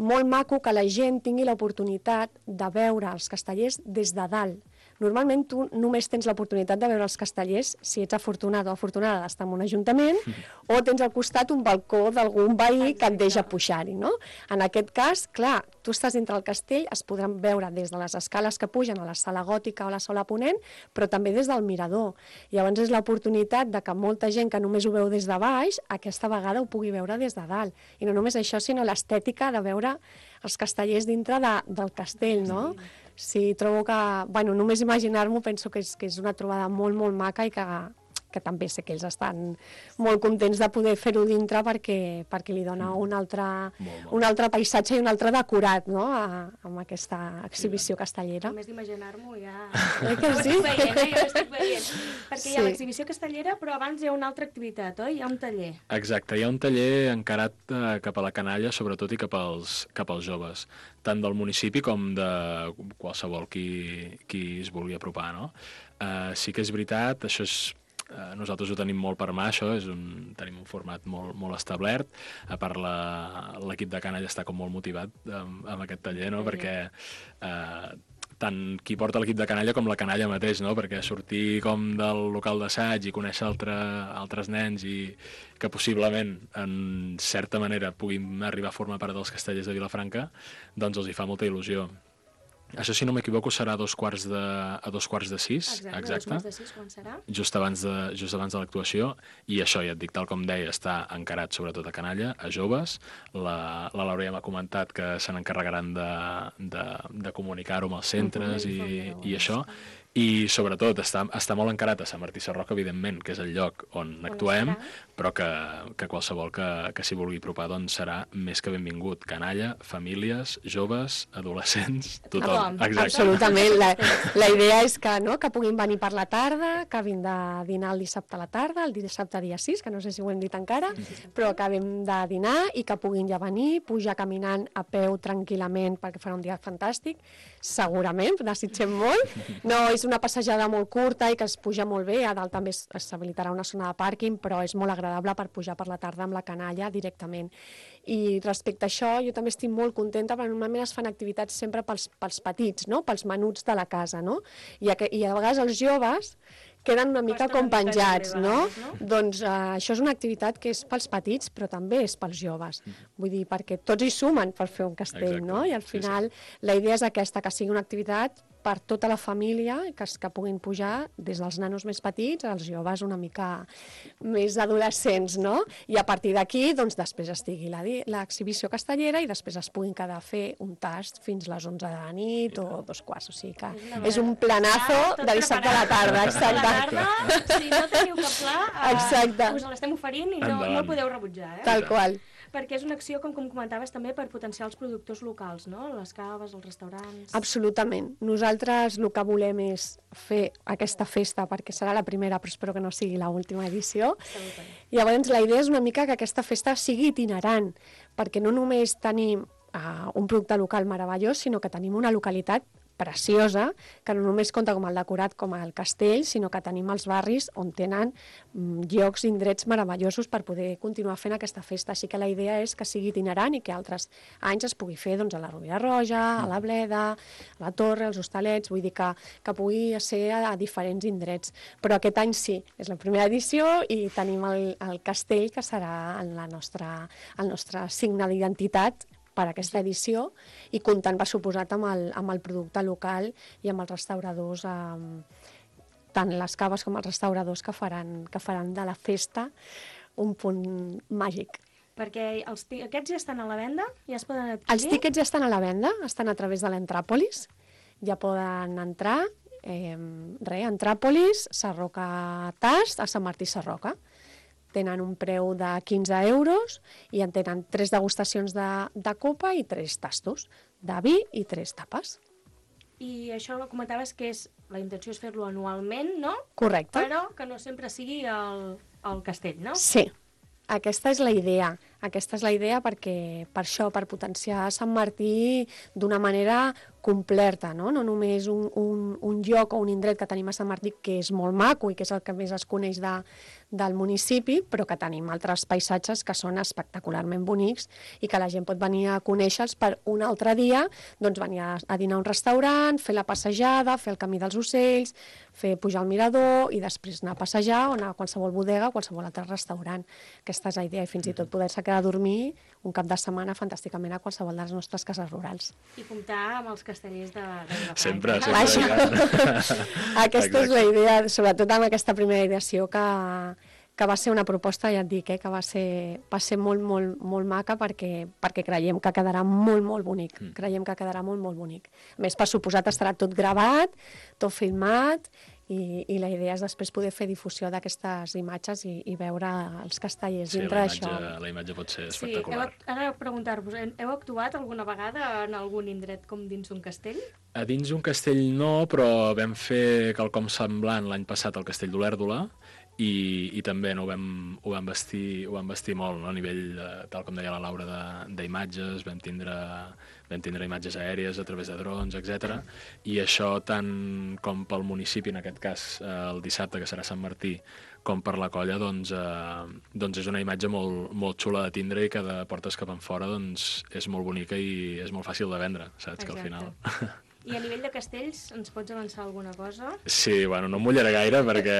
molt maco que la gent tingui l'oportunitat de veure els castellers des de dalt. Normalment tu només tens l'oportunitat de veure els castellers si ets afortunat o afortunada d'estar en un ajuntament o tens al costat un balcó d'algun veí que et deixa pujar-hi, no? En aquest cas, clar, tu estàs dintre del castell, es podran veure des de les escales que pugen a la sala gòtica o a la sala ponent, però també des del mirador. Llavors és l'oportunitat de que molta gent que només ho veu des de baix, aquesta vegada ho pugui veure des de dalt. I no només això, sinó l'estètica de veure els castellers dintre de, del castell, no? Sí, trobo que, bueno, només imaginar-m'ho penso que és, que és una trobada molt, molt maca i que, que també sé que ells estan molt contents de poder fer-ho dintre perquè, perquè li dona un altre, un altre paisatge i un altre decorat, no?, a, amb aquesta exhibició castellera. Només d'imaginar-m'ho ja... Eh que sí? Ho estic veient, eh? Jo ho estic veient. Perquè Sí. hi ha l'exhibició castellera, però abans hi ha una altra activitat, oi? Hi ha un taller. Exacte, hi ha un taller encarat eh, cap a la canalla, sobretot, i cap als, cap als joves, tant del municipi com de qualsevol qui, qui es vulgui apropar, no? Eh, sí que és veritat, això és... Eh, nosaltres ho tenim molt per mà, això, és un, tenim un format molt, molt establert. A part, l'equip de canalla està com molt motivat amb, amb aquest taller, no? Perquè eh, tant qui porta l'equip de canalla com la canalla mateix, no? Perquè sortir com del local d'assaig i conèixer altre, altres nens i que possiblement, en certa manera, puguin arribar a formar part dels castellers de Vilafranca, doncs els hi fa molta il·lusió. Això, si no m'equivoco, serà a dos quarts de, a dos quarts de sis. Exacte, exacte. dos quarts de sis, quan serà? Just abans de, just abans de l'actuació, i això, ja et dic, tal com deia, està encarat sobretot a canalla, a joves. La, la Laura ja m'ha comentat que se n'encarregaran de, de, de comunicar-ho amb els centres i, i això. I, sobretot, està, està molt encarat a Sant Martí Sarroca, evidentment, que és el lloc on actuem, però que, que qualsevol que, que s'hi vulgui apropar doncs serà més que benvingut. Canalla, famílies, joves, adolescents, tothom. Exacte. Absolutament. La, la idea és que, no, que puguin venir per la tarda, que vinguin de dinar el dissabte a la tarda, el dissabte dia sis, que no sé si ho hem dit encara, però acabem de dinar i que puguin ja venir, pujar caminant a peu tranquil·lament perquè farà un dia fantàstic, segurament, desitgem molt. No, és una passejada molt curta i que es puja molt bé, a dalt també s'habilitarà una zona de pàrquing, però és molt agradable per pujar per la tarda amb la canalla directament. I respecte a això, jo també estic molt contenta, perquè normalment es fan activitats sempre pels, pels petits, no? Pels menuts de la casa, no? I a, i a vegades els joves queden una mica com penjats, no? Doncs uh, això és una activitat que és pels petits, però també és pels joves. Vull dir, perquè tots hi sumen per fer un castell, no? I al final la idea és aquesta, que sigui una activitat per tota la família, que, que puguin pujar des dels nanos més petits als joves una mica més adolescents, no? I a partir d'aquí, doncs, després estigui l'exhibició castellera i després es puguin quedar a fer un tast fins les onze de la nit o dos quarts, o sigui que és un planazo de dissabte a la tarda, exacte. Tarda, si no teniu cap pla, Exacte. us l'estem oferint i no, no el podeu rebutjar. Eh? Tal qual. Perquè és una acció, com, com comentaves, també per potenciar els productors locals, no? Les caves, els restaurants... Absolutament. Nosaltres el que volem és fer aquesta festa, perquè serà la primera, però espero que no sigui l'última edició. Llavors, la idea és una mica que aquesta festa sigui itinerant, perquè no només tenim uh, un producte local meravellós, sinó que tenim una localitat preciosa, que no només compta com el decorat com el castell, sinó que tenim els barris on tenen mm, llocs, indrets meravellosos per poder continuar fent aquesta festa. Així que la idea és que sigui itinerant i que altres anys es pugui fer doncs, a la Rovira Roja, a la Bleda, a la Torre, als Hostalets, vull dir que, que pugui ser a, a diferents indrets. Però aquest any sí, és la primera edició i tenim el, el castell que serà en la nostra, el nostre signe d'identitat per aquesta edició i comptant, per suposat, amb el, amb el producte local i amb els restauradors, eh, tant les caves com els restauradors que faran, que faran de la festa un punt màgic. Perquè els aquests ja estan a la venda? Ja es poden adquirir? Els tíquets ja estan a la venda, estan a través de l'Entràpolis, ja poden entrar, eh, res, Entràpolis, Sarroca Tast, a Sant Martí Sarroca. Tenen un preu de quinze euros i en tenen tres degustacions de, de copa i tres tastos de vi i tres tapes. I això ho comentaves que és, la intenció és fer-lo anualment, no? Correcte. Però que no sempre sigui el, el castell, no? Sí, aquesta és la idea. Aquesta és la idea perquè, per això, per potenciar Sant Martí d'una manera completa, no? No només un, un, un lloc o un indret que tenim a Sant Martí que és molt maco i que és el que més es coneix de, del municipi, però que tenim altres paisatges que són espectacularment bonics i que la gent pot venir a conèixer-los per un altre dia, doncs venir a, a dinar a un restaurant, fer la passejada, fer el camí dels ocells, fer pujar al mirador i després anar a passejar o anar a qualsevol bodega o qualsevol altre restaurant. Aquesta és la idea i fins i tot poder-se quedar a dormir un cap de setmana fantàsticament a qualsevol de les nostres cases rurals. I comptar amb els castellers de, de Vilafranca. Sempre, sempre. Aquesta és la idea, sobretot amb aquesta primera edició que, que va ser una proposta, ja et dic, eh, que va ser, va ser molt, molt, molt maca perquè, perquè creiem que quedarà molt, molt bonic. Mm. Creiem que quedarà molt, molt bonic. A més, per suposat, estarà tot gravat, tot filmat, i, i la idea és després poder fer difusió d'aquestes imatges i, i veure els castellers sí, dintre d'això. d'això. La imatge pot ser Sí, espectacular. heu, ara preguntar-vos, heu actuat alguna vegada en algun indret com dins un castell? A dins un castell no, però vam fer quelcom semblant l'any passat al castell d'Olèrdola i, i també no, ho, vam, ho, vam vestir, ho vam vestir molt, no? A nivell, de, tal com deia la Laura, d'imatges, vam tindre, vam tindre imatges aèries a través de drons, etcètera. I això, tant com pel municipi, en aquest cas el dissabte, que serà Sant Martí, com per la colla, doncs, eh, doncs és una imatge molt, molt xula de tindre i que de portes cap enfora doncs, és molt bonica i és molt fàcil de vendre, saps? Exacte. Que al final... I a nivell de castells, ens pots avançar alguna cosa? Sí, bueno, no em mullaré gaire perquè...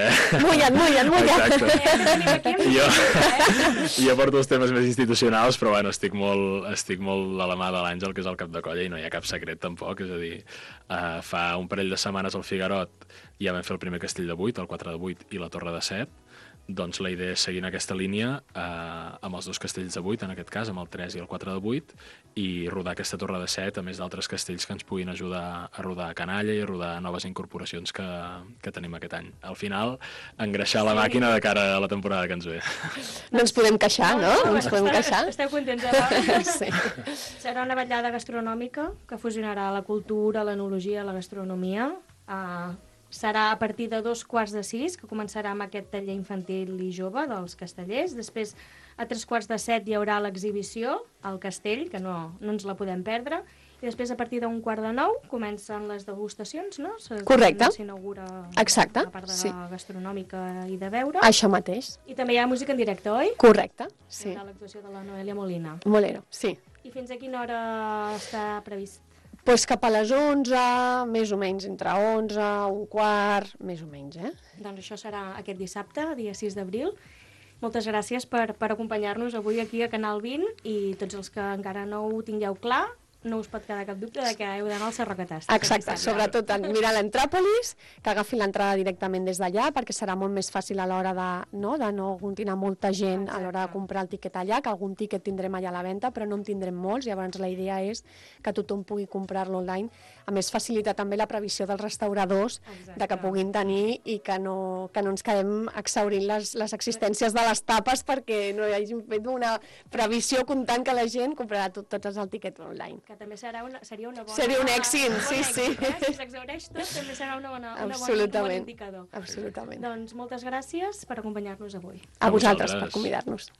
Mullen, mullen, mullen! Exacte. Jo, jo porto els temes més institucionals, però bueno, estic molt, estic molt a la mà de l'Àngel, que és el cap de colla, i no hi ha cap secret tampoc, és a dir, uh, fa un parell de setmanes al Figarot ja vam fer el primer castell de vuit, el quatre de vuit i la torre de set, doncs la idea és seguir en aquesta línia eh, amb els dos castells de vuit, en aquest cas, amb el tres i el quatre de vuit, i rodar aquesta torre de set, a més d'altres castells que ens puguin ajudar a rodar a canalla i a rodar noves incorporacions que, que tenim aquest any. Al final, engreixar la màquina de cara a la temporada que ens ve. No ens podem queixar, no? No ens podem queixar. Esteu contents de sí. Serà una vetllada gastronòmica que fusionarà la cultura, l'enologia i la gastronomia. Uh, serà a partir de dos quarts de sis, que començarà amb aquest taller infantil i jove dels castellers. Després, a tres quarts de set, hi haurà l'exhibició al castell, que no, no ens la podem perdre. I després, a partir d'un quart de nou, comencen les degustacions, no? Correcte. S'inaugura Exacte. la part de sí. gastronòmica i de beure. Això mateix. I també hi ha música en directe, oi? Correcte, sí. Hi haurà l'actuació de la Noelia Molina. Molero, sí. I fins a quina hora està previst? Pues cap a les onze, més o menys, entre onze, un quart, més o menys, eh? Doncs això serà aquest dissabte, dia sis d'abril. Moltes gràcies per, per acompanyar-nos avui aquí a Canal vint i tots els que encara no ho tingueu clar, no us pot quedar cap dubte de que heu d'anar al Sarroca Tast. Exacte, sobretot mirar l'Entràpolis, que agafin l'entrada directament des d'allà, perquè serà molt més fàcil a l'hora de no, de no aglutinar molta gent Exacte. A l'hora de comprar el tiquet allà, que algun tiquet tindrem allà a la venda, però no en tindrem molts, llavors la idea és que tothom pugui comprar-lo online. A més, facilita també la previsió dels restauradors Exacte. De que puguin tenir i que no, que no ens quedem exhaurint les, les existències de les tapes perquè no hi hagin fet una previsió comptant que la gent comprarà tot, tots els tiquets online. Que també serà una, seria una bona... Seria un èxit, un sí, èxit, sí. Eh? Si s'exhaureix tot, també serà una bona, una Absolutament. Bona, un bon indicador. Absolutament. Doncs moltes gràcies per acompanyar-nos avui. A, a vosaltres, per convidar-nos.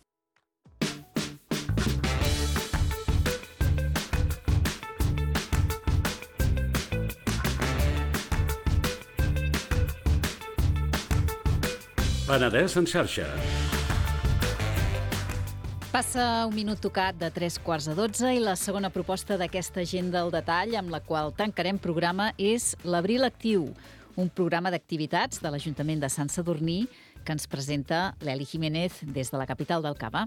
Penedès en xarxa. Passa un minut tocat de tres quarts de dotze i la segona proposta d'aquesta agenda al detall amb la qual tancarem programa és l'Abril Actiu, un programa d'activitats de l'Ajuntament de Sant Sadurní que ens presenta l'Eli Jiménez des de la capital del Cava.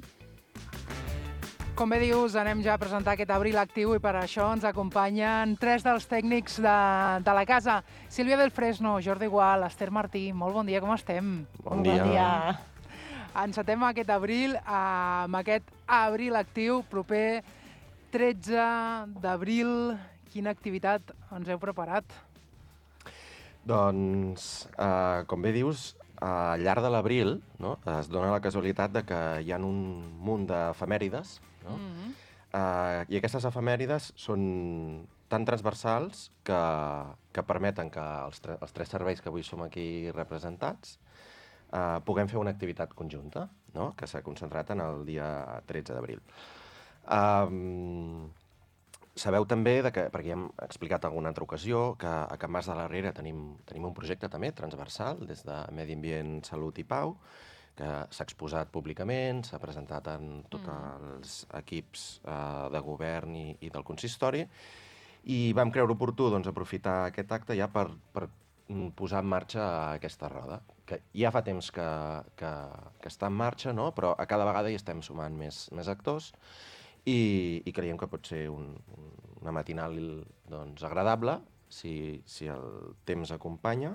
Com bé dius, anem ja a presentar aquest Abril Actiu i per això ens acompanyen tres dels tècnics de, de la casa. Sílvia del Fresno, Jordi Gual, Esther Martí, molt bon dia, com estem? Bon dia. Bon dia. Encetem aquest abril amb aquest Abril Actiu proper tretze d'abril. Quina activitat ens heu preparat? Doncs, eh, com bé dius, al llarg de l'abril, no, es dona la casualitat de que hi ha un munt d'efemèrides, no? Mm-hmm. eh, i aquestes efemèrides són tan transversals que, que permeten que els, tre els tres serveis que avui som aquí representats Uh, puguem fer una activitat conjunta, no? Que s'ha concentrat en el dia tretze d'abril. Um, sabeu també, de que, perquè ja hem explicat en alguna altra ocasió, que a Can Mas de la Riera tenim, tenim un projecte també transversal des de Medi Ambient, Salut i Pau, que s'ha exposat públicament, s'ha presentat en tots mm. els equips uh, de govern i, i del consistori, i vam creure oportú doncs, aprofitar aquest acte ja per, per posar en marxa aquesta roda, que ja fa temps que, que, que està en marxa, no? Però a cada vegada hi estem sumant més, més actors i, i creiem que pot ser un, una matinal doncs, agradable, si, si el temps acompanya,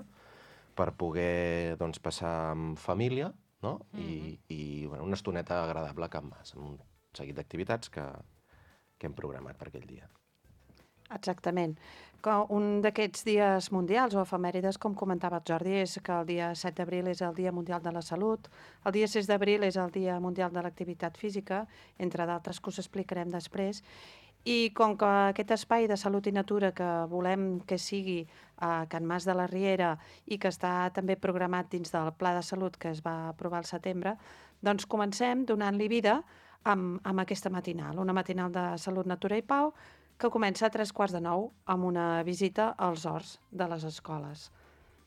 per poder doncs, passar amb família, no? Mm-hmm. I, i bueno, una estoneta agradable a Can Mas, amb un seguit d'activitats que, que hem programat per aquell dia. Exactament. Un d'aquests dies mundials o efemèrides, com comentava el Jordi, és que el dia set d'abril és el Dia Mundial de la Salut, el dia sis d'abril és el Dia Mundial de l'Activitat Física, entre d'altres que us explicarem després, i com que aquest espai de salut i natura que volem que sigui a Can Mas de la Riera i que està també programat dins del Pla de Salut que es va aprovar al setembre, doncs comencem donant-li vida amb, amb aquesta matinal, una matinal de Salut, Natura i Pau, que comença a tres quarts de nou amb una visita als horts de les escoles.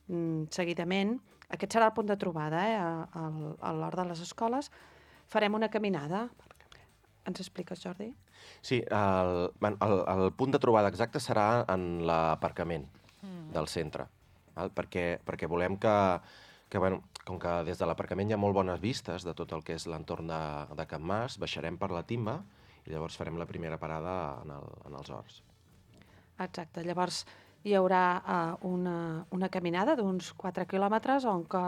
Mm, seguidament, aquest serà el punt de trobada, eh? a l'hort de les escoles, farem una caminada. Ens expliques, Jordi? Sí, el, el, el punt de trobada exacte serà en l'aparcament mm. del centre, val? Perquè, perquè volem que, que bueno, com que des de l'aparcament hi ha molt bones vistes de tot el que és l'entorn de, de Can Mas, baixarem per la timba i llavors farem la primera parada en, el, en els horts. Exacte, llavors hi haurà uh, una, una caminada d'uns quatre quilòmetres on, que,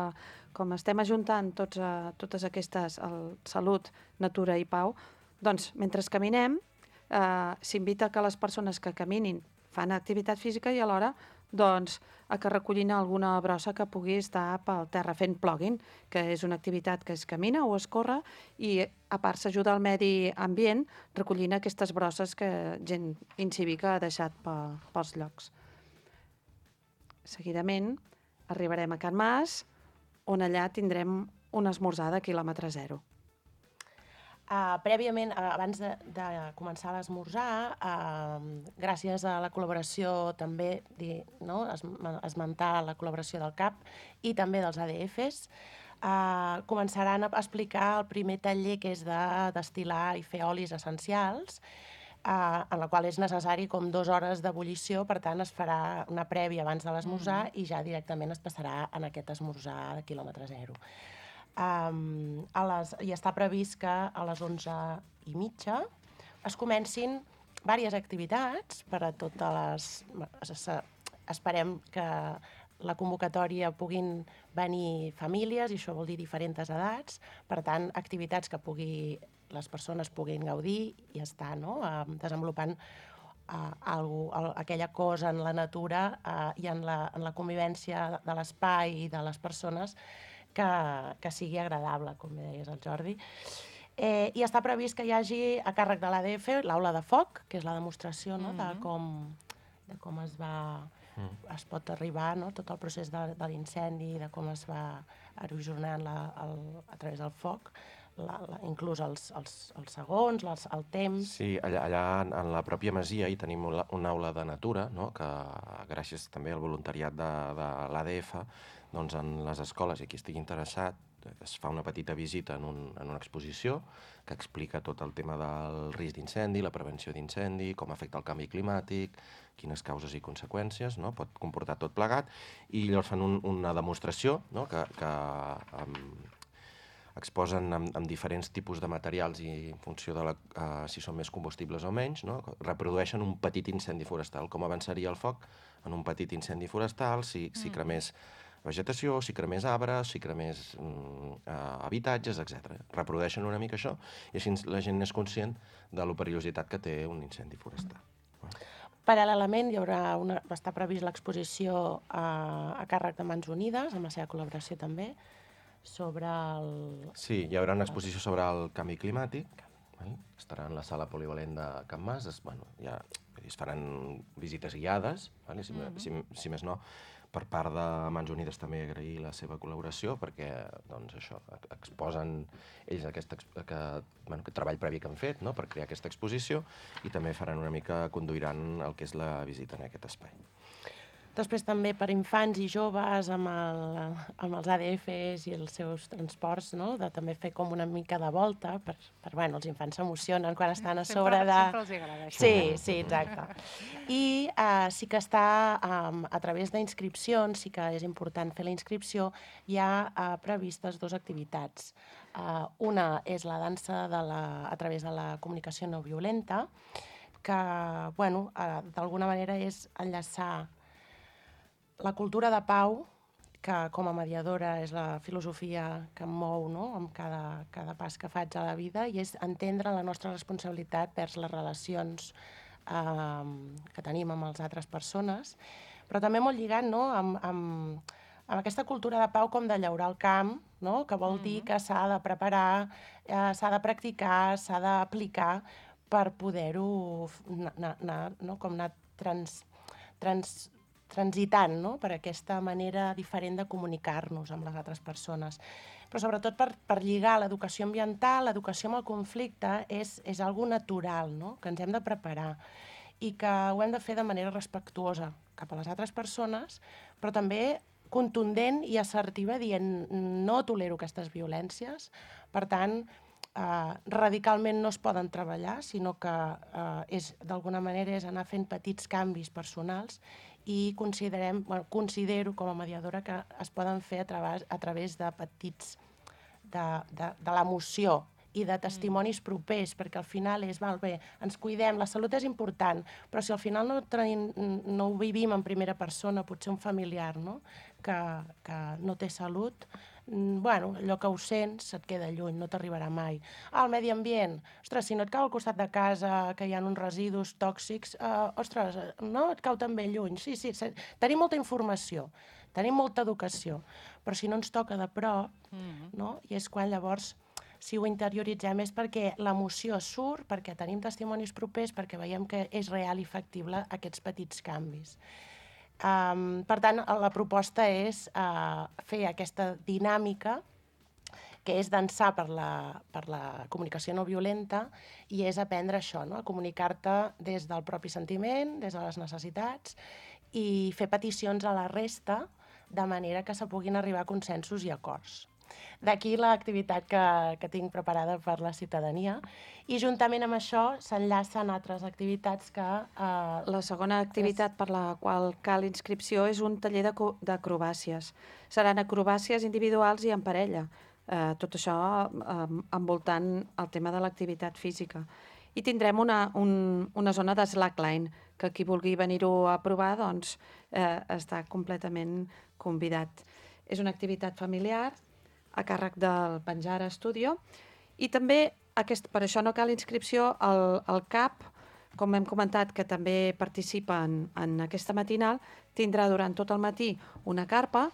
com estem ajuntant tots, uh, totes aquestes, el Salut, Natura i Pau, doncs mentre caminem uh, s'invita que les persones que caminin fan activitat física i alhora doncs, a que recollin alguna brossa que pugui estar pel terra fent plòguing, que és una activitat que es camina o es corre i a part s'ajuda al medi ambient recollint aquestes brosses que gent incívica ha deixat pels llocs. Seguidament arribarem a Can Mas, on allà tindrem un esmorzar de quilòmetre zero. Uh, prèviament, uh, abans de, de començar l'esmorzar, uh, gràcies a la col·laboració també, di, no, es, esmentar la col·laboració del C A P i també dels A D Fs, uh, començaran a explicar el primer taller que és de destil·lar i fer olis essencials, uh, en la qual és necessari com dues hores d'ebullició, per tant es farà una prèvia abans de l'esmorzar mm. i ja directament es passarà en aquest esmorzar de quilòmetre zero. Um, a les, i està previst que a les onze i mitja es comencin diverses activitats per a totes les... Esperem que la convocatòria puguin venir famílies, i això vol dir diferents edats, per tant, activitats que pugui, les persones puguin gaudir i estar no? uh, desenvolupant uh, algo, uh, aquella cosa en la natura uh, i en la, en la convivència de l'espai i de les persones Que, que sigui agradable, com deies el Jordi. Eh, I està previst que hi hagi a càrrec de l'A D F l'aula de foc, que és la demostració no, de, com, de com es va mm. es pot arribar, no, tot el procés de, de l'incendi, de com es va erosionant la, el, a través del foc, la, la, inclús els, els, els segons, els, el temps... Sí, allà, allà en la pròpia masia hi tenim una, una aula de natura, no, que gràcies també al voluntariat de, de l'A D F, doncs en les escoles, i qui estigui interessat, es fa una petita visita en, un, en una exposició que explica tot el tema del risc d'incendi, la prevenció d'incendi, com afecta el canvi climàtic, quines causes i conseqüències, no? Pot comportar tot plegat, i llavors fan un, una demostració, no? que, que um, exposen amb, amb diferents tipus de materials i en funció de la, uh, si són més combustibles o menys, no? Reprodueixen un petit incendi forestal, com avançaria el foc en un petit incendi forestal, si, si cremés vegetació, si cremés arbres, si cremés mm, uh, habitatges, etcètera. Reprodueixen una mica això i així la gent és conscient de la perillositat que té un incendi forestal. Paral·lelament hi haurà una, està previst l'exposició a, a càrrec de Mans Unides, amb la seva col·laboració també, sobre el... Sí, hi haurà una exposició sobre el canvi climàtic, val? Estarà en la sala polivalent de Can Mas, es, bueno, ja, es faran visites guiades, val? Si, mm-hmm. si, si més no, per part de Mans Unides també agrair la seva col·laboració perquè doncs, això, exposen ells aquest, que, bueno, aquest treball previ que han fet, no?, per crear aquesta exposició, i també faran una mica, conduiran el que és la visita en aquest espai. Després també per infants i joves amb, el, amb els A D Fs i els seus transports, no?, de també fer com una mica de volta, per, per bueno, els infants s'emocionen quan estan a sobre de... Sempre els agrada això. Sí, sí, exacte. I uh, sí que està, um, a través d'inscripcions, sí que és important fer la inscripció, hi ha uh, previstes dues activitats. Uh, una és la dansa de la, a través de la comunicació no violenta, que, bueno, uh, d'alguna manera és enllaçar la cultura de pau, que com a mediadora és la filosofia que em mou, no?, amb cada, cada pas que faig a la vida, i és entendre la nostra responsabilitat vers les relacions eh, que tenim amb les altres persones, però també molt lligat, no?, amb, amb, amb aquesta cultura de pau com de llaurar el camp, no?, que vol dir que s'ha de preparar, eh, s'ha de practicar, s'ha d'aplicar per poder-ho anar, anar, no?, com anar trans, trans, transitant, no?, per aquesta manera diferent de comunicar-nos amb les altres persones. Però sobretot per, per lligar l'educació ambiental, l'educació amb el conflicte, és, és algo natural, no?, que ens hem de preparar i que ho hem de fer de manera respectuosa cap a les altres persones, però també contundent i assertiva, dient no tolero aquestes violències, per tant, Uh, radicalment no es poden treballar, sinó que uh, és d'alguna manera és anar fent petits canvis personals, i considerem, bueno, considero com a mediadora que es poden fer a través, a través de petits, de, de, de l'emoció i de testimonis propers, perquè al final és, val, bé, ens cuidem, la salut és important, però si al final no, tenim, no ho vivim en primera persona, potser un familiar, no?, que, que no té salut, bueno, allò que ho sents et queda lluny, no t'arribarà mai. Ah, el medi ambient, ostres, si no et cau al costat de casa que hi ha uns residus tòxics, uh, ostres, no, et cau també lluny. Sí, sí, sí, tenim molta informació, tenim molta educació, però si no ens toca de prop, mm-hmm. no? I és quan llavors, si ho interioritzem, és perquè l'emoció surt, perquè tenim testimonis propers, perquè veiem que és real i factible aquests petits canvis. Um, per tant, la proposta és uh, fer aquesta dinàmica, que és dansar per la, per la comunicació no violenta, i és aprendre això, no?, a comunicar-te des del propi sentiment, des de les necessitats, i fer peticions a la resta de manera que se puguin arribar a consensos i acords. D'aquí l'activitat que, que tinc preparada per la ciutadania, i juntament amb això s'enllacen altres activitats que... Eh, la segona activitat és... per la qual cal inscripció és un taller d'acrobàcies. Seran acrobàcies individuals i en parella, eh, tot això eh, envoltant el tema de l'activitat física. I tindrem una, un, una zona de slackline, que qui vulgui venir-ho a provar doncs, eh, està completament convidat. És una activitat familiar, a càrrec del Penjar Studio, i també, aquest, per això no cal inscripció, el, el C A P, com hem comentat, que també participa en, en aquesta matinal, tindrà durant tot el matí una carpa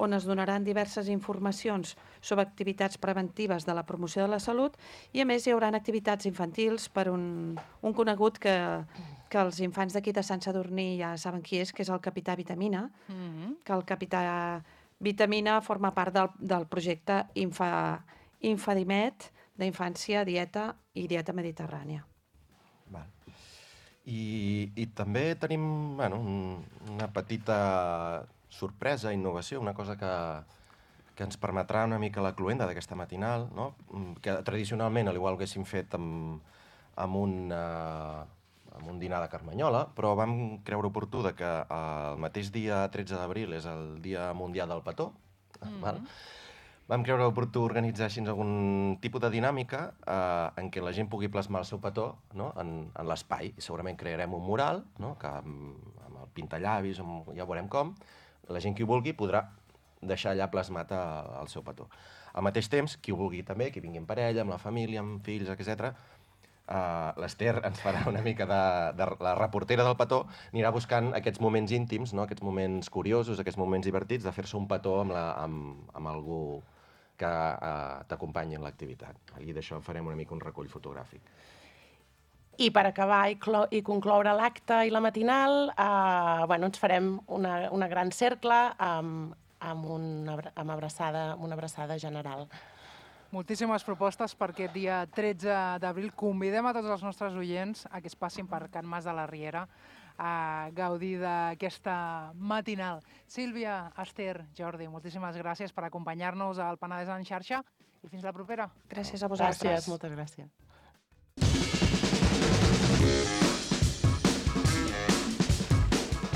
on es donaran diverses informacions sobre activitats preventives de la promoció de la salut, i a més hi haurà activitats infantils per un, un conegut que, que els infants d'aquí de Sant Sadurní ja saben qui és, que és el Capità Vitamina, mm-hmm. que el Capità Vitamina forma part del, del projecte Infa, Infadimet, d'infància, dieta i dieta mediterrània. Val. I, i també tenim bueno, un, una petita sorpresa, innovació, una cosa que, que ens permetrà una mica la cluenda d'aquesta matinal, no? Que tradicionalment, al igual que haguéssim fet amb, amb, un, uh, amb un dinar de Carmanyola, però vam creure oportú de que el mateix dia tretze d'abril és el Dia Mundial del Petó, mm-hmm. val? Vam creure oportú organitzar així algun tipus de dinàmica eh, en què la gent pugui plasmar el seu petó, no? en, en l'espai. I segurament crearem un mural, no? Que amb, amb el pintallavis, amb, ja veurem com, la gent qui ho vulgui podrà deixar allà plasmat a, el seu petó. Al mateix temps, qui ho vulgui també, qui vingui en parella, amb la família, amb fills, etcètera, uh, l'Ester ens farà una mica de, de la reportera del petó, anirà buscant aquests moments íntims, no? Aquests moments curiosos, aquests moments divertits, de fer-se un petó amb, la, amb, amb algú que uh, t'acompanyi en l'activitat. I d'això farem una mica un recull fotogràfic. I per acabar i, i concloure l'acte i la matinal, eh, bueno, ens farem una, una gran cercle amb, amb, una, amb, abraçada, amb una abraçada general. Moltíssimes propostes per aquest dia tretze d'abril. Convidem a tots els nostres oients a que es passin per Can Mas de la Riera a gaudir d'aquesta matinal. Sílvia, Esther, Jordi, moltíssimes gràcies per acompanyar-nos al Penedès en xarxa i fins la propera. Gràcies a vosaltres. Gràcies, moltes gràcies.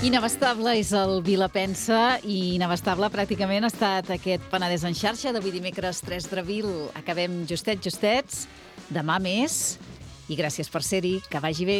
Inabastable és el Vilapensa i inabastable pràcticament ha estat aquest Penedès en xarxa d'avui dimecres tres d'abril. Acabem justet, justets, demà més i gràcies per ser-hi, que vagi bé.